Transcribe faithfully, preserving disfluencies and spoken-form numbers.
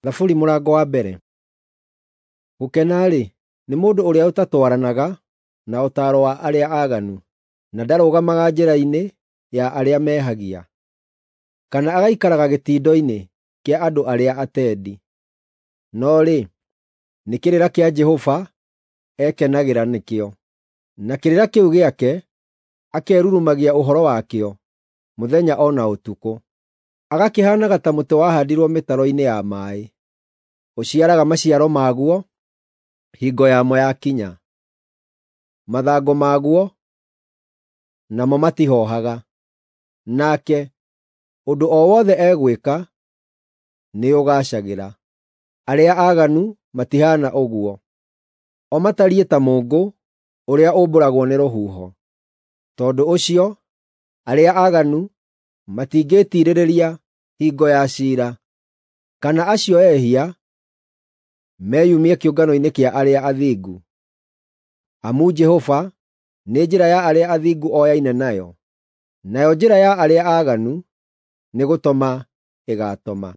Thaburi mũrango wa mbere. Gũkena-rĩ, nĩ mũndũ ũrĩa ũtatwaranaga na ũtaaro wa arĩa aaganu, na ndarũgamaga njĩra-inĩ ya arĩa mehagia, kana agaikaraga gĩtindo-inĩ kĩa andũ arĩa atendi. No rĩ, nĩ kĩrĩra kĩa Jehova ekenagĩra nĩkĩo, na kĩrĩra kĩu gĩake akerurumagia ũhoro wakĩo mũthenya o na ũtukũ. Agakĩhaanaga ta mũtĩ wahaandirwo mĩtaro-inĩ ya maaĩ, ũciaraga maciaro maguo hingo yamo yakinya. Mathangũ maguo namo matihoohaga. Nake, ũndũ o wothe egwĩka nĩũgaacagĩra. Arĩa aaganu matihaana ũguo; o matariĩ ta mũũngũ ũrĩa ũmbũragwo nĩ rũhuho. Tondũ ũcio arĩa aaganu matingĩĩtiirĩrĩria hingo ya ciira, kana acio ehia meyumie kĩũngano-inĩ kĩa arĩa athingu. Amu Jehova nĩ njĩra ya arĩa athingu oyaine nayo, nayo njĩra ya arĩa aaganu nĩgũtoma ĩgaatoma.